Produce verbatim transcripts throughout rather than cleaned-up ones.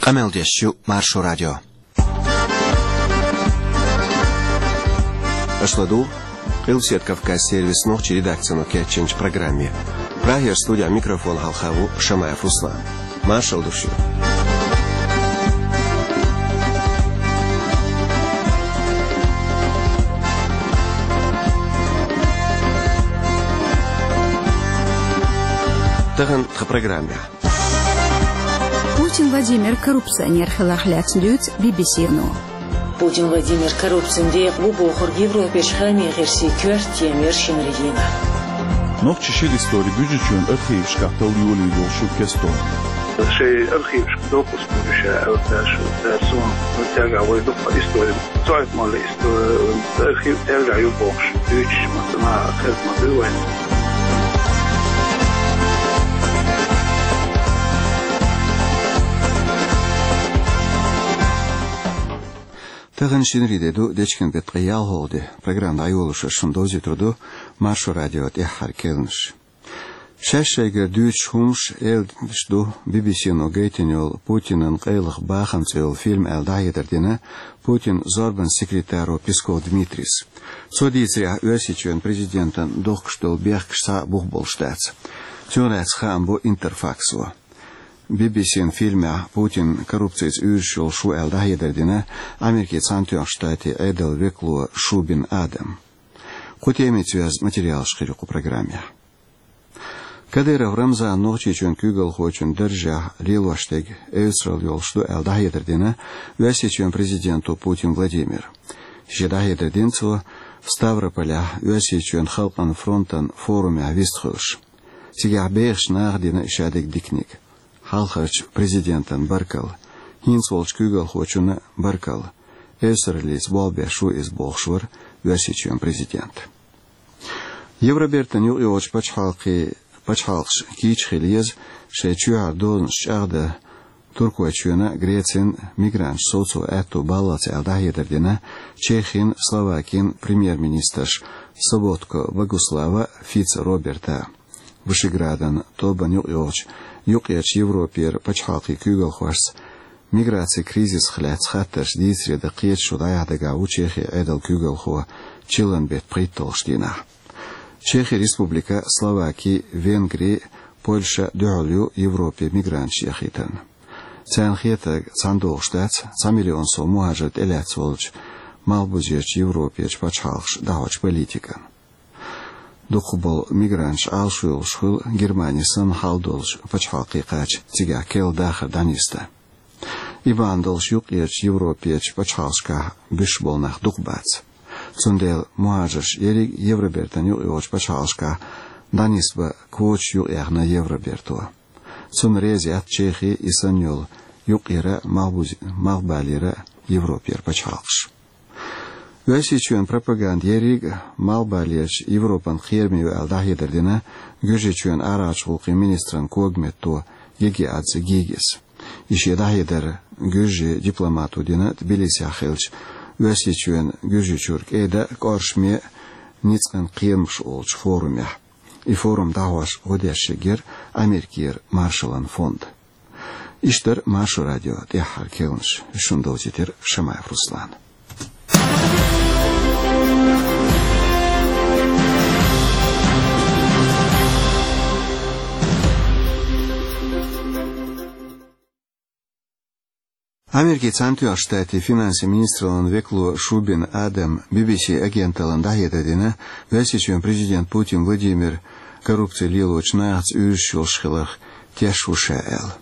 Къамел деш ю Маршо радио. Аша ладугӀу Къилбаседа Кавказ сервисан нохчийн редакцино кечйинчу программе. Прагера студехь микрофон хьалха ву Шамаев Руслан. Маршалла ду шуьга. Тахана тхан программехь. Путин Владимир коррупционер хиларх лаьцна дуьйцу Би-Би-Си-но. Путин Владимир коррупцин декъа ву бохург Европерчу хаамийн гӀирсийн коьрта тема яра шинарин дийнахь. Нохчийн шира истори Гуьржийчоьнан архивашкахь талла йолийла йолуш ю кестта. Шайн архивашка доккхуш ду ша аьлла, ша, ша, суна, ну, тӀаьхьа вай дуккха истори, цойт молла истори, архив тӀаьхьа ю бохуш, дуьйцуш, ма ца наха хезна ма дуй вайн. Тахана шинарин де ду, дечкен беттан ткъе ялхалгӀа де. Программа дӀайолош шуна довзуьйтур ду Маршо радион тӀаьххьара керланаш. Шаьш шайгара дуьйцуш хӀумаш, элира ду Би-Би-Си-но гайтина йолу «Путинан къайлаха бахам» цӀе йолу фильм аьлла дӀахьедар дина Путинан зорбанан секретаро Песков Дмитрийс. Цо дийцарехь, Оьрсийчоьнан президентана дохкуш долу бехкаш цхьа а бух болуш дац. Цунах лаьцна хаам бо Интерфаксо. Би-Би-Син фильмехь Путин коррупцица уьйраш йолуш ву аьлла дӀахьедар дина Америкин Цхьаьнатоьхначу Штатийн Ӏедалан векало Шубин Адам. Кху темица йоьзна материалаш хир ю кху программехь. Кадыров Рамзан Нохчийчоьнан куьйгалхочун даржехь лелош дерг эвсаралла йолуш ду аьлла дӀахьедар дина Оьрсийчоьнан президенто Путин Владимира. Шен дӀахьедар дина цо Ставрополехь Оьрсийчоьнан халкъан фронтан форумехь вистхуьлуш. Цигахь бехачу наха дина и шадерг диканиг. Хьалхарчу президентана баркалла, хӀинца волчу куьйгалхочунна баркалла, эвсараллица болх беш ву иза, бохуш вара Оьрсийчоьнан президент. Евробертан юкъайогӀучу пачхьалкхе-, пачхьалкхаша кийча хила еза шайн чоьхьара дозанаш чӀагӀдан Туркойчоьнан, Грецин мигранташ совцо аьтту баллалц аьлла дӀахьедар дина Чехин, Словакин премьер-министрша Соботка Богуслава, Фица Роберта. Вышеградан тобанна юкъайогӀучу юккъерчу Европера пачхьалкхийн куьйгалхошца миграцин кризисах лаьцна хаттарш дийцаре дан кхеташо дӀаяхьа дагахь ву Чехин Ӏедалан куьйгалхо чиллан беттан пхийтталгӀачу дийнахь. Чехин Республика, Словаки, Венгри, Польша дуьхьал ю Европе мигранташ яхийтарна. Царна хетарг цхьаьна догӀуш дац цхьа миллион сов мухӀажар тӀелаьцна волчу Малхбузерчу Европерчу пачхьалкхаша дӀахьочу политикана. Дукхахболу мигранташ Ӏалашо йолуш хуьлу Германи санна хьал долчу пачхьалкхе кхача, цигахь керла дахар дӀанисдан. И бахьана долуш юккъерчу Европерчу пачхьалкхашкахь буьсуш болу нах дукха бац. Цундела мухӀажарш ерриг Евробертан юкъайогӀучу пачхьалкхашкахь дӀанисбан квоташ юкъаяьхна Евроберто. Цунна реза яц Чехи, и санна йолу юккъера а, малхбуз-, малхбалера а Европера пачхьалкхаш. Оьрсийчоьнан пропаганда ерриг а малхбалерчу Европан кхераме ю аьлла дӀахьедар дина Гуьржийчоьнан арахьарчу гӀуллакхийн министран когаметто Гегиадзе Гигис. И шен дӀахьедар гуьржийн дипломато дина Тбилисехь хиллачу Оьрсийчоьнан Гуьржийчуьра кӀеда а, кӀоршаме а ницкъан кхерамаш олучу форумехь. И форум дӀахьош гӀо деш шеггера Америкера Маршаллан фонд. Иштта дара Маршо радион тӀаьххьара керланаш. Шуна довзийтира Шамаев Руслана. Америкин Цхьаьнатоьхначу Штатийн финансийн министраллан векало Шубин Адам Би-Би-Си агенталлина дӀахьедар дина Оьрсийчоьнан президент Путин Владимир коррупци лелочу нахаца уьйраш йолуш хиларх тешаш ву ша аьлла.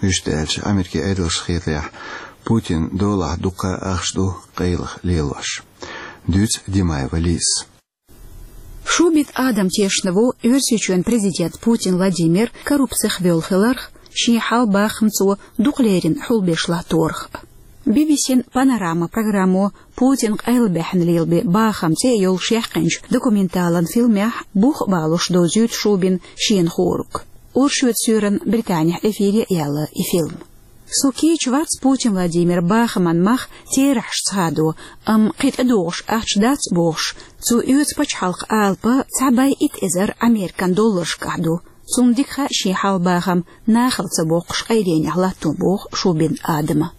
Вуьшта аьлча, Америкин Ӏедалшна хетарехь, Путинан долахь дуккха а ахча ду къайлаха лелош. Дуьйцу Димаева Лизас. Шубин Адам тешна ву Оьрсийчоьнан президент Путин Владимир коррупцих воьлла хиларх, шен хьал-бахам цо дукха леррина хьулбеш латторах. Би-Би-Син «Панорама» программо «Путин къайлабаьхьна лелабен бахам» цӀе йолуш яьккхинчу документалан фильмехь бух а балош довзуьйту Шубина шена хуур. Оршот суьйранна Британехь эфире а яьлла и фильм. Со кийча вац Путин Владимиран бахаман мах терахьашца хадо, амма кхин тӀедогӀуш ахча дац бохуш, цо оьцу пачхьалкхан алапа цхьа бӀе итт эзар Американ долларшкахь ду, Цунна дика хаьа шен хьалха бахам нахала ца боккхуш къайленех латтон, боху Шубин Адама.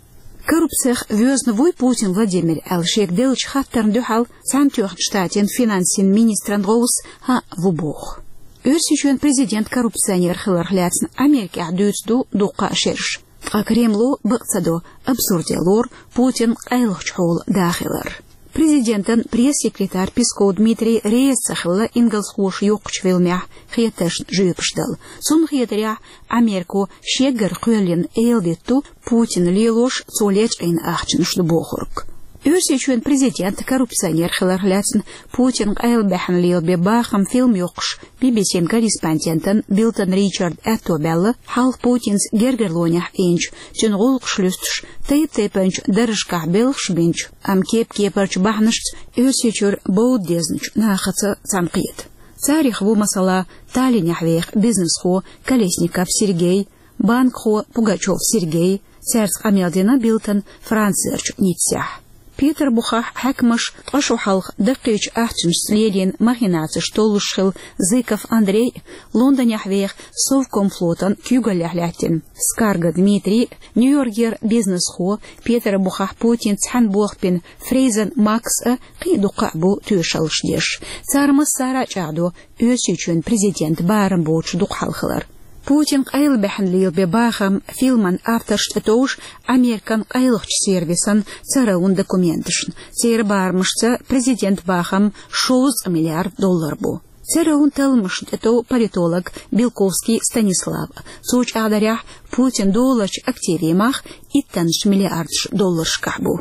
Коррупцех воьзна вуй Путин Владимир аьлла шега деллачу хаттарна дуьхьал Цхьаьнатоьхначу Штатийн финансийн министран гӀовс хӀаъ ву боху. Оьрсийчоьнан президент коррупционер хиларх лаьцна Америкехь дуьйцуш ду дуккха а шераш. Ткъа Кремло бакъ ца до абсурде лору Путин къайлахчу хьолан да хилар. Президентан пресс-секретарь Песков Дмитрий реза ца хилла ингалсхоша йоккхучу фильмехь хетаршна жоьпаш дала. Цунна хетарехь, Америко шеггара кхоьллина эладита ду Путина лелош, цо лечкъийна ахчанаш ду бохург. Оьрсийчоьнан президент коррупционер хиларх лаьцна Путин къайлабаьхьна лелабен бахам фильм йоккхуш Би-би-син корреспондентан Билтон Ричардан аьтто баьлла, хьалха Путинца гергарлонехь Ӏийначу, цуьнан гӀуллакхаш луьстуш, тайп-тайпанчу даржашкахь белхаш бинчу, амма кеп-кепарчу бахьанашца Оьрсийчуьра бовда дезначу нахаца цхьаьнакхета. Царах ву, масала, Таллинехь веха бизнесхо Колесников Сергей, банкхо Пугачёв Сергей, цаьрца къамел дина Билтон Францерчу Ниццехь. Петарбухехь хьаькамаша ткъа шо хьалха даккхийчу ахчанашца лелийна махинацеш толлуш хилла Зыков Андрей, Лондонехь веха Совкомфлотан куьйгаллехь лаьттина Скарга Дмитрий, Нью-Йоркера бизнесхо, Петарбухехь Путинца цхьаьна болх бина Фрейзен Макс а, кхин а дуккха а бу тоьшаллаш деш. Цара массара а чӀагӀдо Оьрсийчоьнан президентан барам боцуш дукха хьал хилар. Путин къайлабаьхьна лелабен бахам фильман авторш тӀетовжу Американ къайлахчу сервисан ЦРУ-н документашна. Церан барамашца президентан бахам шовзткъа миллиард доллар бу. ЦРУ-н талламашна тӀетов политолог Белковский Станислав. Цо чӀагӀдарехь, Путина долларчу активе мах иттаннаш миллиардаш долларшкахь бу.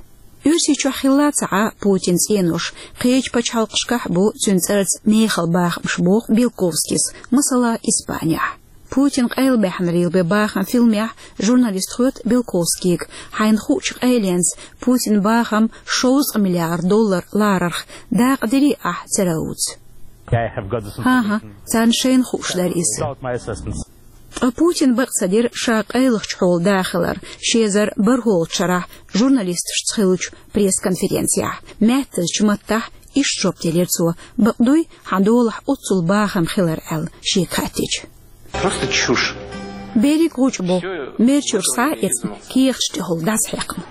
Оьрсийчохь хилла ца Ӏа Путинан цӀенош, кхечу пачхьалкхашкахь а бу цуьнан цӀарца мехала бахамаш, боху Белковскийс, масала, Испанехь. Путина къайлабаьхьна лелабен бахам фильмехь журналиста хоьтту Белковскийга: «Хьайна хуучу къайленца Путинан бахам шовзткъа миллиард доллар ларарх дакъа дирий ахь ЦРУ-ца?» ХӀан-хӀа, царна шайна хууш дара иза. Ткъа Путина бакъ ца дира ша къайлахчу хьолан да хилар, ши эзар бархӀолгӀачу шарахь журналисташца хиллачу пресс-конференцехь. Маьттазчу маттахь иштта жоп делира цо: «Бакъ дуй, хьан долахь оццул бахам хилар?» — аьлла, шега хаьттича. Просто чушь. Берриг гӀучӀ бу, мерачуьра схьа а эцна, кехаташ тӀехула дӀасахьаькхна.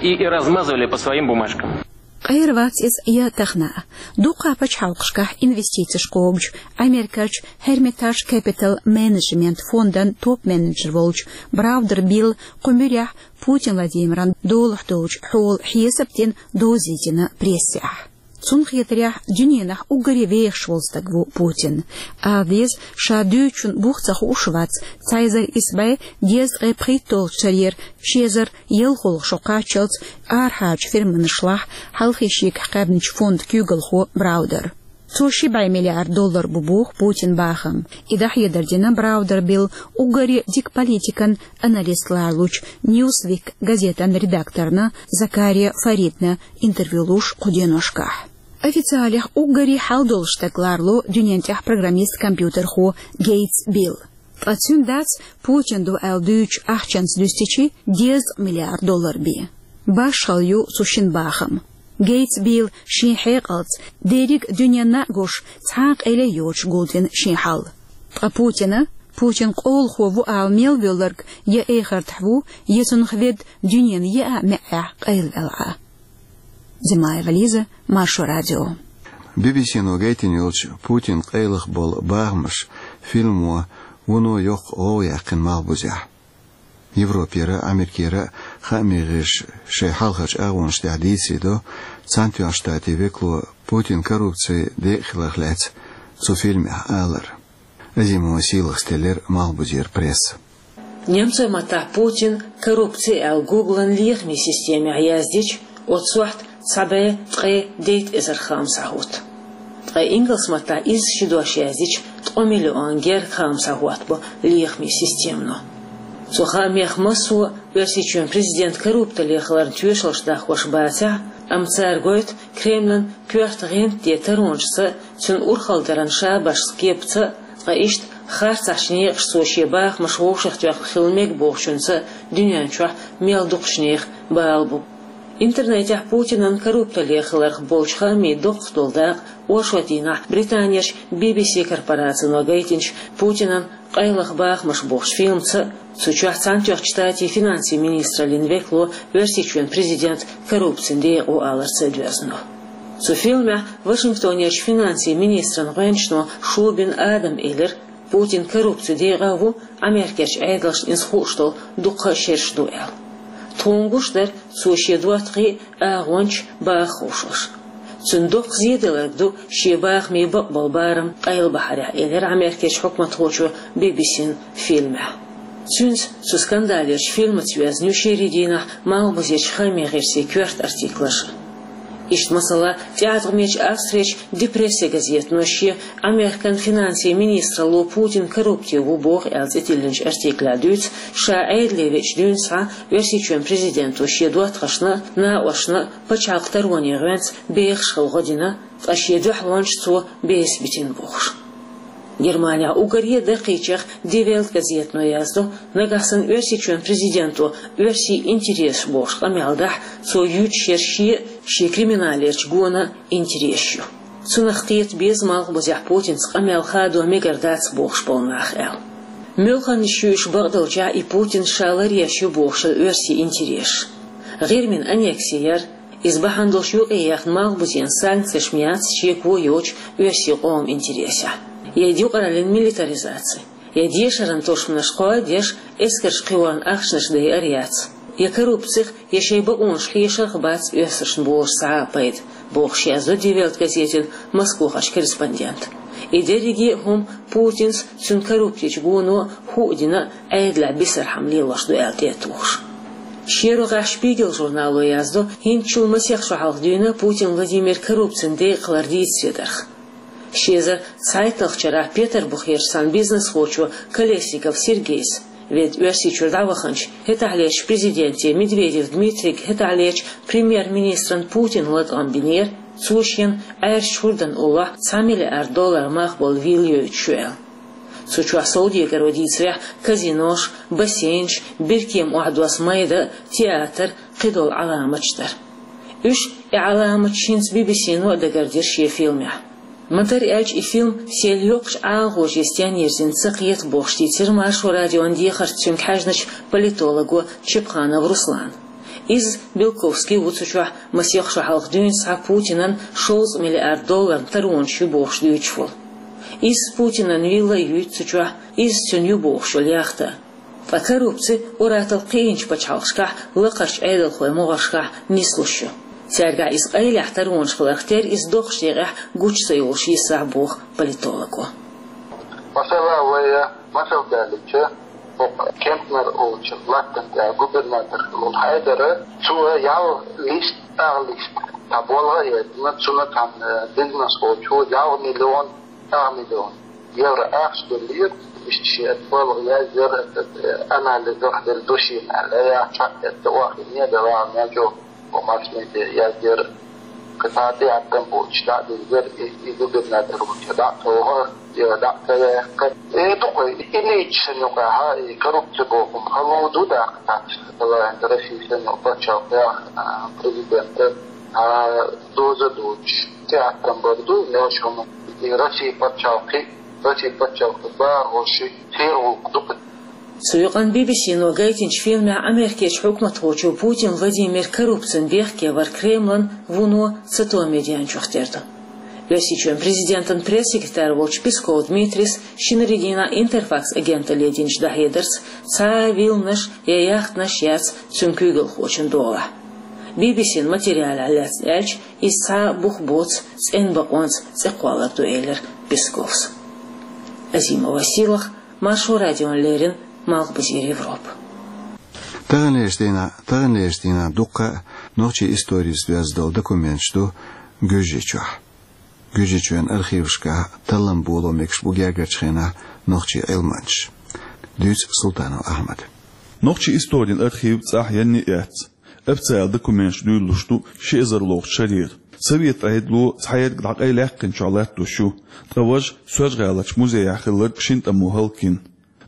И, и размазывали по своим бумажкам. Къера вац иза я тахана а. Дуккха а пачхьалкхашкахь инвестицеш кхобучу, Америкерчу Hermitage Capital Management фондан топ-менеджер волчу Браудер Билла кху муьрехь Путин Владимиран долахь долчу хьолан хьесап дина, доза йитина прессехь. Цунна хетарехь, дуьненахь уггаре вехаш волу стаг ву Путин. Ала деза, ша дуьйцучун бух ца хууш вац, цхьа эзар исс бӀе дезткъе пхийтталгӀачу шарера ши эзар ялхолгӀа шо кхаччалц арахьарчу фирманашлахь хьалхе шегахь кхаьбначу фондан куьйгалхо Браудер. Цо ши бӀе миллиард доллар бу боху Путинан бахам. И дӀахьедар дина Браудер Билла уггаре дика политикан аналист лоруш волчу Newsweek газетан редакторна Закария Фаридна интервью луш кху деношкахь. Официалехь уггаре хьал долуш стаг лоруш ву дуьнен тӀехь программист-компьютерхо Гейтс Билла. Ткъа цуьнан дац Путина ду аьлла дуьйцучу ахчанца дуьстича дезткъа миллиард доллар бен. Башхалла ю цу шина бахам. Гейтс Билла шен хьекъалца, дерриг а дуьненна а гуш, цхьа а къайле йоцуш гулдина шен хьал. Ткъа Путина, Путин къолахо ву ала мел воьлларг я эхартахь ву, я цунах ведда дуьненан еа маьӀӀехь къайлавелла Ӏа. Зимаева Лиза, Маршо радио. Би-би-сино гайтина йолчу Путинан къайлаха болу бахамаш фильмо вуно йоккха гӀовгӀа яьккхина малхбузехь. Европера а, Америкера а хаамийн гӀирсаша шайн хьалхарчу агӀонаш тӀехь дийцаре до Цхьаьнатоьхначу Штатийн векало Путинан коррупци декъа хиларх лаьцна цу фильмехь алар. Азимова Сийлахас теллира малхбузера пресса. Немцойн маттахь Путин коррупци аьлла Гуглан лехамийн системехь яздича, оцу сохьта цхьа бӀе ткъе дейтта эзар хаам схьахӀутту. Ткъа ингалс маттахь изза ши дош яздича, ткъа миллион гергга хаам схьахӀоттабо лехамийн системано. Цу хаамех массо а Оьрсийчоьнан президент корруптале хиларна тоьшаллаш даккхош бацахь а, амма цара гойту Кремлан коьрта гӀентан таронашца а, цуьнан урхалдаран шабашца, кепаца а, ткъа иштта харцахьчу некъашца цо шен бахамаш вовшахтоьхна хила мега бохучунца а дуьнен чохь мел дукхачу нехан бала бу. Интернетехь Путинан коррупциле хиларх болчу хаамийн доккхах долу дакъа оршотдийнахь Британерчу Би-Би-Си корпорацино гайтинчу Путинан «Къайлаха бахамаш» бохучу фильмаца а, цу чохь Цхьаьнатоьхначу Штатийн финансийн министраллин векало Оьрсийчоьнан президент коррупцин декъа ву аларца а доьзна ду. Цу фильмехь Вашингтонерчу финансийн министран гӀоьнчано Шубин Адама элира, Путин коррупцин декъа а ву, Америкерчу Ӏедалшна иза хууш долу дуккха а шераш ду аьлла. Тхуна гуш дара, цо шен доттагӀий а, агӀончаш а баха хууш. Цуьнан доккха зеделларг ду шен бахамийн бакъболу барам къайлабахьарехь, элира Америкерчу хьукматхочо Би-Би-Сина фильмехь. Цуьнца, цу скандалерчу фильмаца йоьзна ю шерийн дийнахь малхбузерчу хаамийн гӀирсийн коьрта артиклаш. Иштта, масала, тӀеӀаткъамечу Австрерчу «Ди Прессе» газетано шен Американ финансийн министралло Путин коррупте ву боху аьлла цӀе тиллинчу артиклехь дуьйцу, ша Ӏедале веача дуьйна схьа Оьрсийчоьнан президенто шен доттагӀашна а, накъосташна а пачхьалкхан тароне гӀоьнца бехаш хила гӀо дина, ткъа шен дуьхьалонаш цо беса битина бохуш. Германехь уггаре а даккхийчех «Ди Вельт» газетано яздо, нагахь санна Оьрсийчоьнан президенто оьрсийн интересаш бохуш къамел дахь, цо юьйцуш ерш шен а, шен криминалерчу гонан а интересаш ю. Цунах кхета беза малхбузехь Путинца къамел хадо мегар дац бохуш болу нах аьлла. Муьлханна а шуьйш бакъдолчехь и Путин ша ларъеш ю бохуш оьрсийн интересаш. ГӀирмин аннекси яр, иза бахьана долуш юкъаяьхна малхбузенан санкцеш ма яц шеко йоцуш оьрсийн къоман интересехь. Я юкъараллин милитаризаци, я дешаран тосманаш кхоа а деш, эскарш кхиорна ахчанаш дайар яц. Я коррупцих, я шайн бакъонаш хешарх бац оьрсашна бохуш цхьа а пайда, бохуш яздо «Ди Вельт» газетана Москвахарчу корреспондента. И дерриге а хӀума Путинс, цуьнан коррупцечу гоно хӀуъа дина а Ӏедалехь бисархьама лелош ду аьлла тӀе а тухуш. Шен рогӀехь «Шпигел» журнало яздо хӀинцачул масех шо хьалха дуьйна Путин Владимир коррупцин декъа хилар дийца седарх. Ши эзар цхьайтталгӀачу шарахь Петарбухерчу цхьана бизнесхочо Колесников Сергейс, ведда Оьрсийчуьра дӀаваханчу, хӀетахьлерчу президенте Медведев Дмитрийга хӀетахьлерчу премьер-министран Путина латкъам бинера, цо шена Ӏаьржачу хӀордан уллохь цхьа миллиард доллар мах болу вилла йойтуш ю аьлла. Цу чохь совдегаро дийцарехь, казинош, бассейнаш, биркема охьадосу майда, театр, кхидолу Ӏаламаташ дара. Уьш, и Ӏаламаташ, хӀинца Би-Би-Сино а дагардира шен фильмехь. Ма-дарра аьлча, и фильм сел йоккхачу ӀалагӀожеца стенна йирзина ца кхета бохуш дийцира Маршо радион дехарца цуьнга хьаьжначу политолого Чепханов Руслана. Иза, Белковский ву цу чохь, масех шо хьалха дуьйна схьа Путинан шовзткъа миллиард долларна таронаш ю бохуш дуьйцуш волу. Иза Путинан вилла а юьйцу цу чохь, иза цуьнан ю бохуш йолу яхта. Ткъа коррупци ур-атталла кхиъначу пачхьалкхашкахь, лакхарчу Ӏедалхойн могӀаршкахь нислуш ю. Цаьргахь иза къайлехь таронаш хиларх терра, иза доккхачу декъехь гучу ца йолуш йисахь, боху политолого. Масала, вай масал далича, хӀокху Кемпнер олучу латтана тӀехь губернатор хилла волу Хьайдара, цо ялх лист, агӀа лист, цхьа болх а эцна, цунна цхьана бизнес волчо ялх миллион, агӀа миллион евро ахча деллера, иштта шен болх яздира, анализах делла ду шена аьлла, яц хьаэцна, охьахиъна, делахь а мел чӀогӀа масс медиа яздира. Кхин цхьа тӀеӀаткъам боцуш дӀа а диллира, и, и губернатор волчу дӀа а тоху, и дӀа а ца яьккхира. Э, дукха, и нийса санна юкъахь, и коррупци бохург хала ду даккха, цхьацца, Россия санна пачхьалкхехь, а, президента, а, доза доцуш, тӀеӀаткъам бар ду, мел хӀума. И Россия пачхьалкхе, Россия пачхьалкхе бахархоши, церан гӀуллакх ду-кх. Цу юкъанна Би-Би-Сино гайтинчу фильмехь Америкерчу хьукматхочо Путин Владимир коррупцина бехке вар Кремлан вуно цатоам медианчух тера ду. Оьрсийчоьнан президентан пресс-секретарь волчу Песков Дмитрийс шинарин дийнахь Интерфакс агенталле динчу дӀахьедарца, цхьа а вилланаш я яхтанаш яц цуьнан куьйгалхочун долахь. Би-Би-Син материалехь лаьцна аьлча, иза цхьа а бух боцу цӀена бакъонца цӀекхоллар ду, элира Песковс. Азимова Сийлахь, Маршо радиона леррина, Малхбузера Европа. Таханлерчу дийнахь, таханлерчу дийнахь дуккха а нохчийн историца доьзна долу документаш ду Гуьржийчохь. Гуьржийчоьнан архивашкахь таллам боло мегаш бу гергарчу хенахь нохчийн Ӏилманчаш. Дуьйцу Султанов Ахьмада. Нохчийн историн архив цӀахь янна а эцна, официалан документаш дуьйлалуш ду ши эзарлгӀачу шарера. Совет Ӏедало цхьаерг дӀакъайлаяьккхинчохь латтош ю, ткъа важа Соьлжа-ГӀаларчу музейхь хилларг шина тӀамо хӀаллакйина.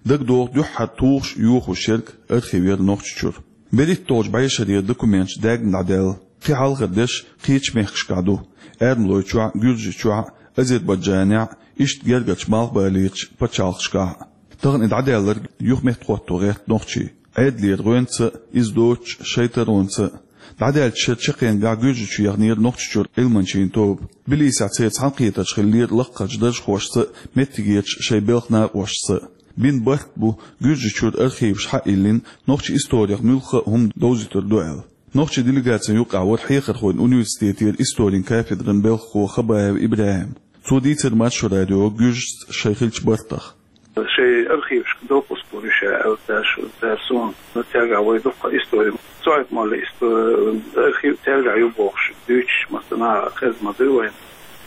ДагадогӀу, дуьххьара тухуш а, йохош ерг архив яра Нохчийчуьра. БерхӀитталгӀачу бӀешарера документаш даьгна дӀадаьлла кхин хьалхара деш кхечу мехкашкахь ду: Эрмалойчохь, Гуьржийчохь, Азербайджанехь, иштта гергарчу малхбалийрачу пачхьалкхашкахь. Тахана и дӀадаьлларг юха меттахӀотто гӀерта нохчий. Ӏедалера гӀоьнца а, иза доцуш шайтаронца а. ДӀадаьллачу шеран чаккхенгахь Гуьржийчу яханера Нохчийчуьра Ӏилманчийн тоба. Тбилисехь церан цхьаьнакхетарш хиллера лакхарчу даржхошца а, меттигерчу шайн белхан накъосташца а. Бина барт бу Гуьржийчуьра архиваш схьа а йиллина, нохчийн историх муьлхха а хӀума довзуьйтур ду аьлла. Нохчийн делегацин юкъахь вара Хьехархойн университетера историн кафедран белхахо Хабаев ИбрахӀим. Цо дийцира Маршо радиога гуьржашца шайн хиллачу бартах. Шайн архивашка допуск лур ю ша аьлла, цара шу-, цара суна, ну, цаьргахь вай дуккха истори, Цойт-Моллин исто-, архив цаьргахь ю бохуш, дуьйцуш, массанхьа хезна ма дуй вайна.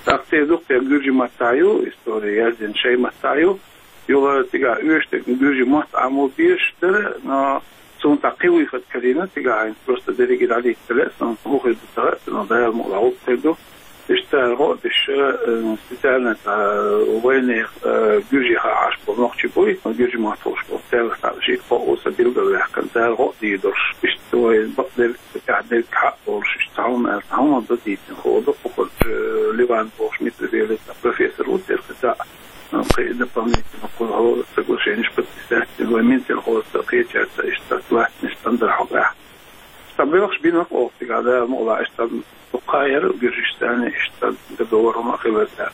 ТӀаккха церан дуккха гуьржийн маттахь ю, истори яздина шайн маттахь ю. Юха цигахь оьшург гуьржийн мотт Ӏамо безаш дара, но цунна цхьа кхин вуй хӀоттийна, цигахь хӀинца просто дерриге дӀадийца ца лаьа, суна хӀун хир ду ца хаьа, но Дала мукъ лахь хӀун хир ду. Иштта цара гӀо а деш, э, специально цхьа вайнех, э, гуьржех Ӏаш болу нохчий буй, гуьржийн мотт хуьлуш болу, цаьргахь цхьаъ шийтта кхоъ ву сан билгалваьккхина, цара гӀо а дийр долуш, иштта вай бакъдерг, тӀаьхьа дерг хьакъ долуш, иштта цхьа хӀума аьлла, цхьа хӀума дан дийцина хӀун ду, кху хӀорш, э, Ливан бохуш Митра велица профессор ву церан цхьа, э, кхин дополнительно кху хӀора соглашенеш подписать дина, вай Минсельхозца кхечаьрца иштта латтанаш тӀандархьокъехь. Сан белхаш бина оха цигахь, Дала мукъ лахь, иштта дуккха яра гуьржашца иштта договор хӀума а хилар цара.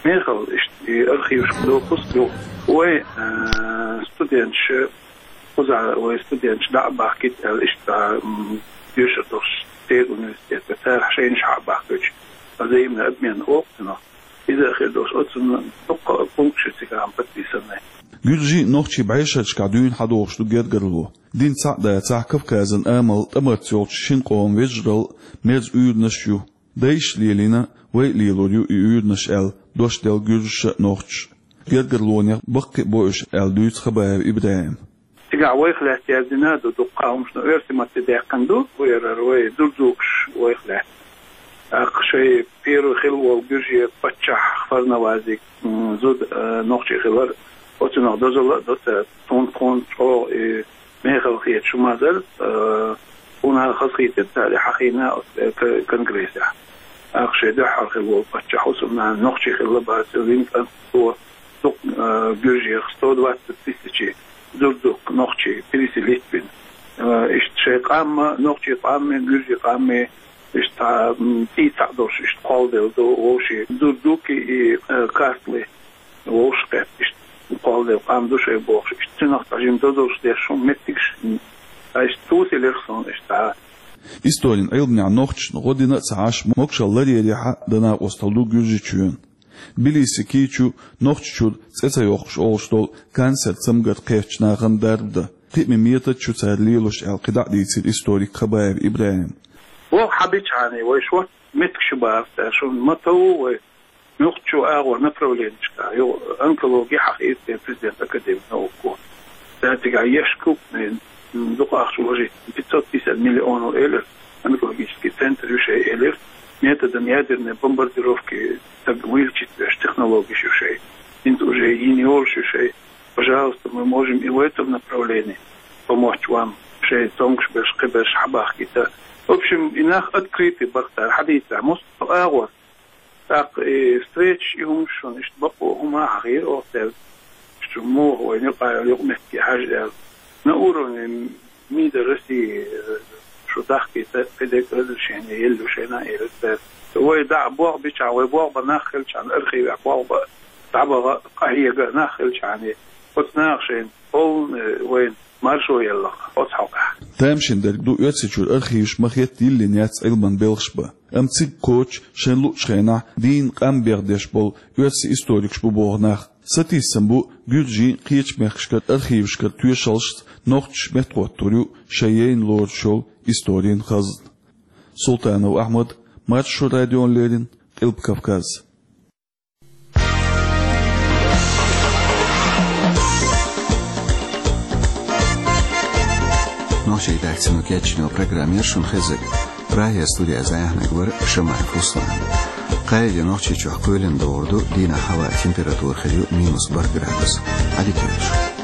Мехала иштта и архивашка допуск ю. Вай, э, студенташ, кхузахь вай студенташ дӀа а бахкийта аьлла, иштта, м, доьшур долуш церан университетера, цара шайнаш хьа а бахкуьйтуш, взаимный обмен олу цунах. Иза а хир долуш, оцунна дуккха а пункташ ю цигахь подписанный. Гуьржий а, нохчий а бӀешерашкахь дуьйна схьадогӀуш ду гергарло. Дин цхьаъ дацахь, Кавказан амал тӀамарца йолчу шина къоман вежаралла мерза уьйранаш ю. Дайша лелийна, вай а лелор ю и уьйранаш аьлла, дош делла гуьржаша а, нохчаша а. Гергарлонех баккхий а бо уьш аьлла дуьйцу Хабаев ИбрахӀима. Цигахь вайх лаьцна яздина а ду дуккха а хӀумнаш, но оьрсийн матте даьккхина ду, вай яра вай дурзукаш вайх лаьцна. ТӀаккха шайн первый хилла волу гуьржийн паччахь Фарнавазиг, м, зуда, э, нохчи хилар, оцунах дозалла а до цара, тхуна, тхуна чӀогӀа и мехала хеташ хӀума дар, э, тхуна хазахийтира цара и хьахийна оцу, э, к-, конгрессехь. ТӀаккха шайн дуьххьара хилла волу паччахь хӀусамнана нохчи хилла бац, вин кӀант цо, дукха, э, гуьржех сто двадцать тысячи дурзук нохчий переселить бина. Э, иштта шайн къам а, нохчийн къам а, гуьржийн къам а, иштта, м, цӀий цхьаъ долуш, иштта кхолладелла ду вовшийн дурзуки и, э, картли вовшахкхетта, иштта кхолладелла къам ду шайн бохуш, иштта цунах цхьа жима дозаллаш деш хӀума меттигаш, м, ткъа иштта цо селира суна иштта. Историн Ӏилманехь нохчашна гӀо дина а ца Ӏаш, могушалла ларъярехьа дан накъосталла ду Гуьржийчоьнан. Тбилиси кийча ю Нохчийчуьра цӀе ца йоккхуш олуш долу канцер цамгар кхеттачу нахана дарба дан. Кхиаман метод ю цара лелош аьлла кхидӀа а дийцира историк Хабаев ИбрахӀима. Вовшахкхетча хьуна вай шорта меттигаш бахара цара, шуна ма тов вай муьлххачу агӀор направленешкахь, йо, онкологи хьахийра церан президент академик наукаша. Цара цигахь еш крупный, м, дукха ахча вложить, пятьсот пятьдесят миллионов элира, онкологический центр ю шайн элира, методом ядерной бомбардировки стаг вылечить веш технологиш ю шайн. ХӀинца уже йина йолуш ю шайн. Пожалуйста, мы можем и в этом направлении помочь вам, шайн цомгуш берш, кхин берш хьабахкийта. В общем, и нах открытый бара цара, хьадийцахь, муьлхха агӀор. ТӀаккха и встречаш, и хӀумаш шуна иштта бакъо хӀума хьахийра оха цаьрга. Иштта муха вайна юкъа, юкъаметтиге хьажа аьлла. На уровне МИДа России, э, шу дахкийта, кхидерг разрешение елла ю шайна, элира цара. Вай дӀа болх бича, вай болх бан нах хилча, архивехь болх бан, дӀабаха, къахьега нах хилча, оцу наха шайна полный, э, вайна маршо елла оцу хьокъехь. Тамашийна дерг ду, Оьрсийчуьра архиваш ма-хетта йиллина яц Ӏилман белхаш бан. Амма цига кхочуш, шайна луучу хенахь дийна къам бехдеш болу оьрсийн историкаш бу боху нах. Сатийсам бу гуьржийн, кхечу мехкашкара архивашкара тоьшаллашца нохчаш меттахӀоттор ю шайн яйна лоруш йолу историн хазна. Султанов Ахьмад, Маршо радиона леррина, Къилба Кавказ. Нохчийн редакцино кечйина программа яра шуна хезира. Прагера студехь зӀенаьхниг вара Шамаев Руслан. Кхаале Нохчийчохь кхоьлина догӀур ду, дийнахь хӀаваан температура хир ю минус бархӀ градус. Ӏадика йойла шун.